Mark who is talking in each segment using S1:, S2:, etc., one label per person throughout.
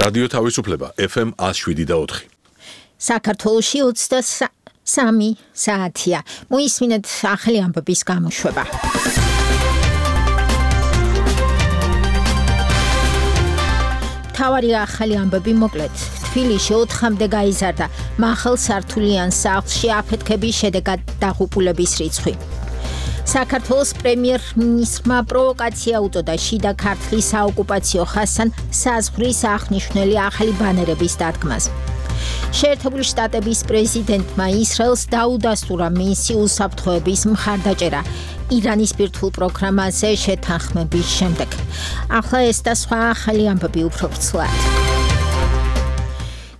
S1: რადიო თავისუფლება FM 107.4.
S2: საქართველოში 23 საათია. მოისმინეთ ახალი ამბების გამოშვება. თავარი ახალი ამბები მოკლედ. თბილისში 4-მდე გაიზარდა მაღალსართულიან სახლში აფეთქების შედეგად დაღუპულების რიცხვი. საქართველოს პრემიერ-მინისტრმა პროვოკაცია უწოდა შიდა ქართლის საოკუპაციო ხაზთან საზღვრის აღნიშნული ახალი ბანერების დადგმას. შეერთებული შტატების პრეზიდენტმა ისრაელს დაუდასტურა მისი უსაფრთხოების მხარდაჭერა ირანის ბირთვულ პროგრამაზე შეთანხმების შემდეგ. ახლა ეს და სხვა ახალი ამბები უფრო ვრცლად.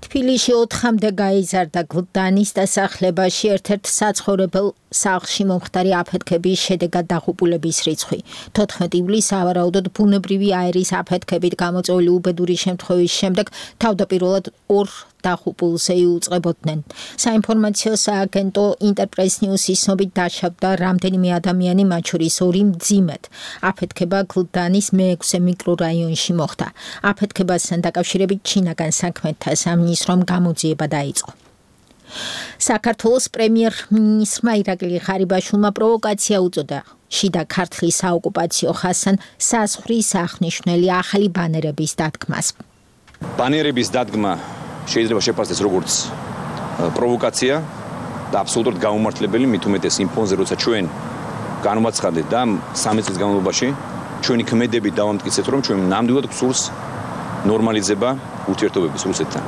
S2: თბილისში 4-მდე გაიზარდა გლდანის დასახლებაში ერთ-ერთ საცხოვრებელ სახლში მომხდარი აფეთქების შედეგად დაღუპულების რიცხვი. 14 ივლისს სავარაუდოდ ბუნებრივი აერის აფეთქებით გამოწვეული უბედური შემთხვევის შემდეგ თავდაპირველად 2 დაღუპულზე იუწყებოდნენ. საინფორმაციო სააგენტო ინტერპრეს ნიუსის ცნობით დაშავდა რამდენიმე ადამიანი, მათ შორის 2 მძიმედ. აფეთქება გლდანის მე-6 მიკრორაიონში მოხდა. აფეთქებასთან დაკავშირებით ჩინაგან საქმეთა სამინისტრომ გამოძიება დაიწყო. საქართველოს პრემიერ-მინისტრმა ირაკლი ღარიბაშვილმა პროვოკაცია უწოდა შიდა ქართლის საოკუპაციო ხაზთან საზღვრის აღნიშნული ახალი ბანერების დადგმას.
S3: ბანერების დადგმა შეიძლება შეფასდეს როგორც პროვოკაცია და აბსოლუტურად გაუმართლებელი, მით უმეტეს იმ ფონზე, როცა ჩვენ განვაცხადეთ და 3 წლის განმავლობაში ჩვენი ქმედები დავამტკიცეთ, რომ ჩვენ ნამდვილად გვსურს ნორმალიზება ურთიერთობების რუსეთთან.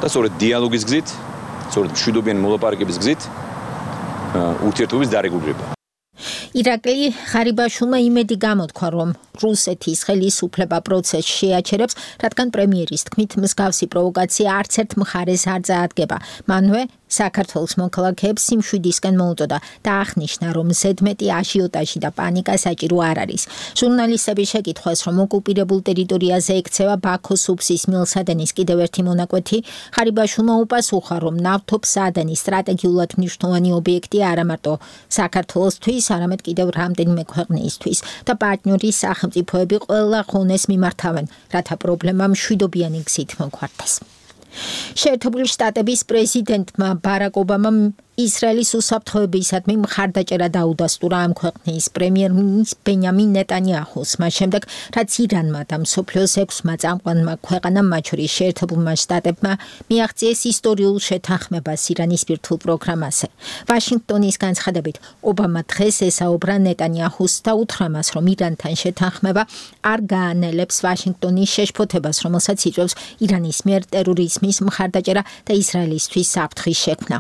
S3: და სწორედ დიალოგის გზით, სწორედ მშვიდობიანი მოლაპარაკების გზით ურთიერთობის დარეგულირება.
S2: ირაკლი ღარიბაშვილმა იმედი გამოთქვა, რომ რუსეთის ხელისუფლება პროცესს შეაჩერებს, რადგან პრემიერის თქმით მსგავსი პროვოკაცია არც ერთ მხარეს არ წაადგება. მანვე საქართველოს მოქალაქეებს სიმშვიდისკენ მოუწოდა და აღნიშნა, რომ ზედმეტი აჟიოტაჟი და პანიკა საჭირო არ არის. ჟურნალისტების შეკითხვას, რომ ოკუპირებულ ტერიტორიაზე ექცევა ბაქოს უბსის მილსადენის კიდევ ერთი მონაკვეთი, ღარიბაშვილმა უპასუხა, რომ ნავთობსადენის სტრატეგიულად მნიშვნელოვანი ობიექტი არა მარტო საქართველოსთვის, არამედ კიდევ რამდენიმე ქვეყნისთვის და პარტნიორი სახელმწიფოები ყველა ღონეს მიმართავენ, რათა პრობლემა მშვიდობიანი გზით მოგვარდეს. შეერთებული შტატების პრეზიდენტმა ბარაკ ობამამ ისრაელის უსაფრთხოებისადმი მხარდაჭერა დაუდასტურა ამ ქვეყნის პრემიერ-მინისტრ ბენიამინ ნეტანიაჰუს, მას შემდეგ, რაც ირანმა და მსოფლიოს 6-მა წამყვანმა ქვეყანამ, მათ შორის შეერთებულმა შტატებმა მიაღწიეს ისტორიულ შეთანხმებას ირანის ბირთვულ პროგრამაზე. ვაშინგტონის განცხადებით, ობამა დღეს ესაუბრა ნეტანიაჰუს და უთხრა მას, რომ ირანთან შეთანხმება არ გაანელებს ვაშინგტონის შეშფოთებას, რომელსაც იწვევს ირანის მიერ ტერორიზმის მხარდაჭერა და ისრაელისთვის საფრთხის შექმნა.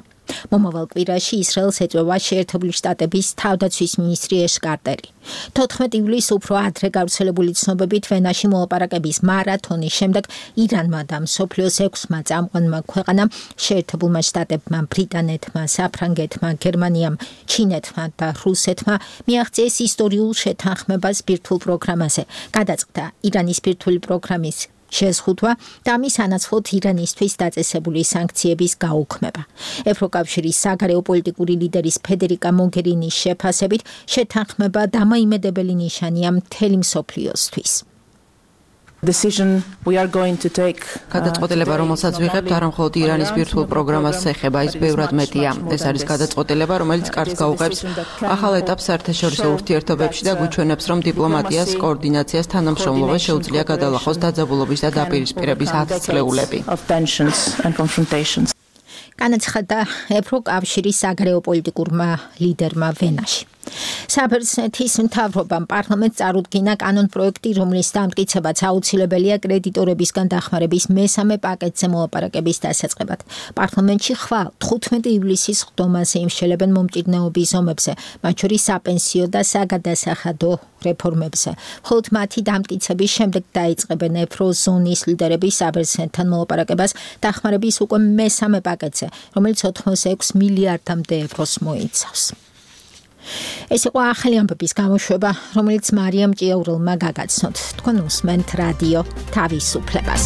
S2: მომავალ კვირაში ისრაელს ეწევა შეერთებული შტატების თავდაცვის მინისტრი ეშ კარტერი. 14 ივლისს უფრო ადრე გავრცელებული ცნობებით ვენაში მოლაპარაკების მარათონის შემდეგ ირანმა და მსოფლიოს 6-მა წამყვანმა ქვეყანამ, შეერთებულმა შტატებმა, ბრიტანეთმა, საფრანგეთმა, გერმანიამ, ჩინეთმა და რუსეთმა მიაღწიეს ისტორიულ შეთანხმებას ბირთვულ პროგრამაზე. გადაწყდა ირანის ბირთვული პროგრამის შეზღუდვა და ამის ანაცვლოდ ირანისთვის დაწესებული სანქციების გაუქმება. ევროკავშირის საგარეო პოლიტიკური ლიდერის ფედერიკა მოგერინის შეფასებით შეთანხმება დამოიმედებელი ნიშანია მთელი მსოფლიოსთვის.
S4: გადაწყვეტილება, რომელსაც ვიღებთ, არა მხოლოდ ირანის ბირთვულ პროგრამას ეხება, ის ბევრად მეტია. ეს არის გადაწყვეტილება, რომელიც კარგს გაუღებს ახალ ეტაპს საერთაშორისო ურთიერთობებში და გვიჩვენებს, რომ დიპლომატიას, კოორდინაციას, თანამშრომლობას შეუძლია გადალახოს დაძაბულობის და დაპირისპირების ათწლეულები.
S2: განაცხადა ევროკავშირის საგარეო პოლიტიკურმა ლიდერმა ვენაში. საბერძნეთის მთავრობამ პარლამენტს წარუდგინა კანონპროექტი, რომლის დამტკიცებაც აუცილებელია კრედიტორებისგან დახმარების მესამე პაკეტზე მოლაპარაკების დასაწყებად. პარლამენტში ხვალ 15 ივლისის ხდომაზე იმსჯელებენ მომჭირნეობის ზომებზე, მათ შორის საპენსიო და საგადასახადო რეფორმებზე. მხოლოდ მათი დამტკიცების შემდეგ დაიწყებენ ევროზონის ლიდერები საბერძნეთთან მოლაპარაკებას დახმარების უკვე მესამე პაკეტზე, რომელიც 86 მილიარდამდე ევროს მოიცავს. ეს იყო ახალი ამბების გამოშვება, რომელიც მარიამ ჭიაურელმა გაგაცნოთ. თქვენ უსმენთ რადიო თავისუფლებას.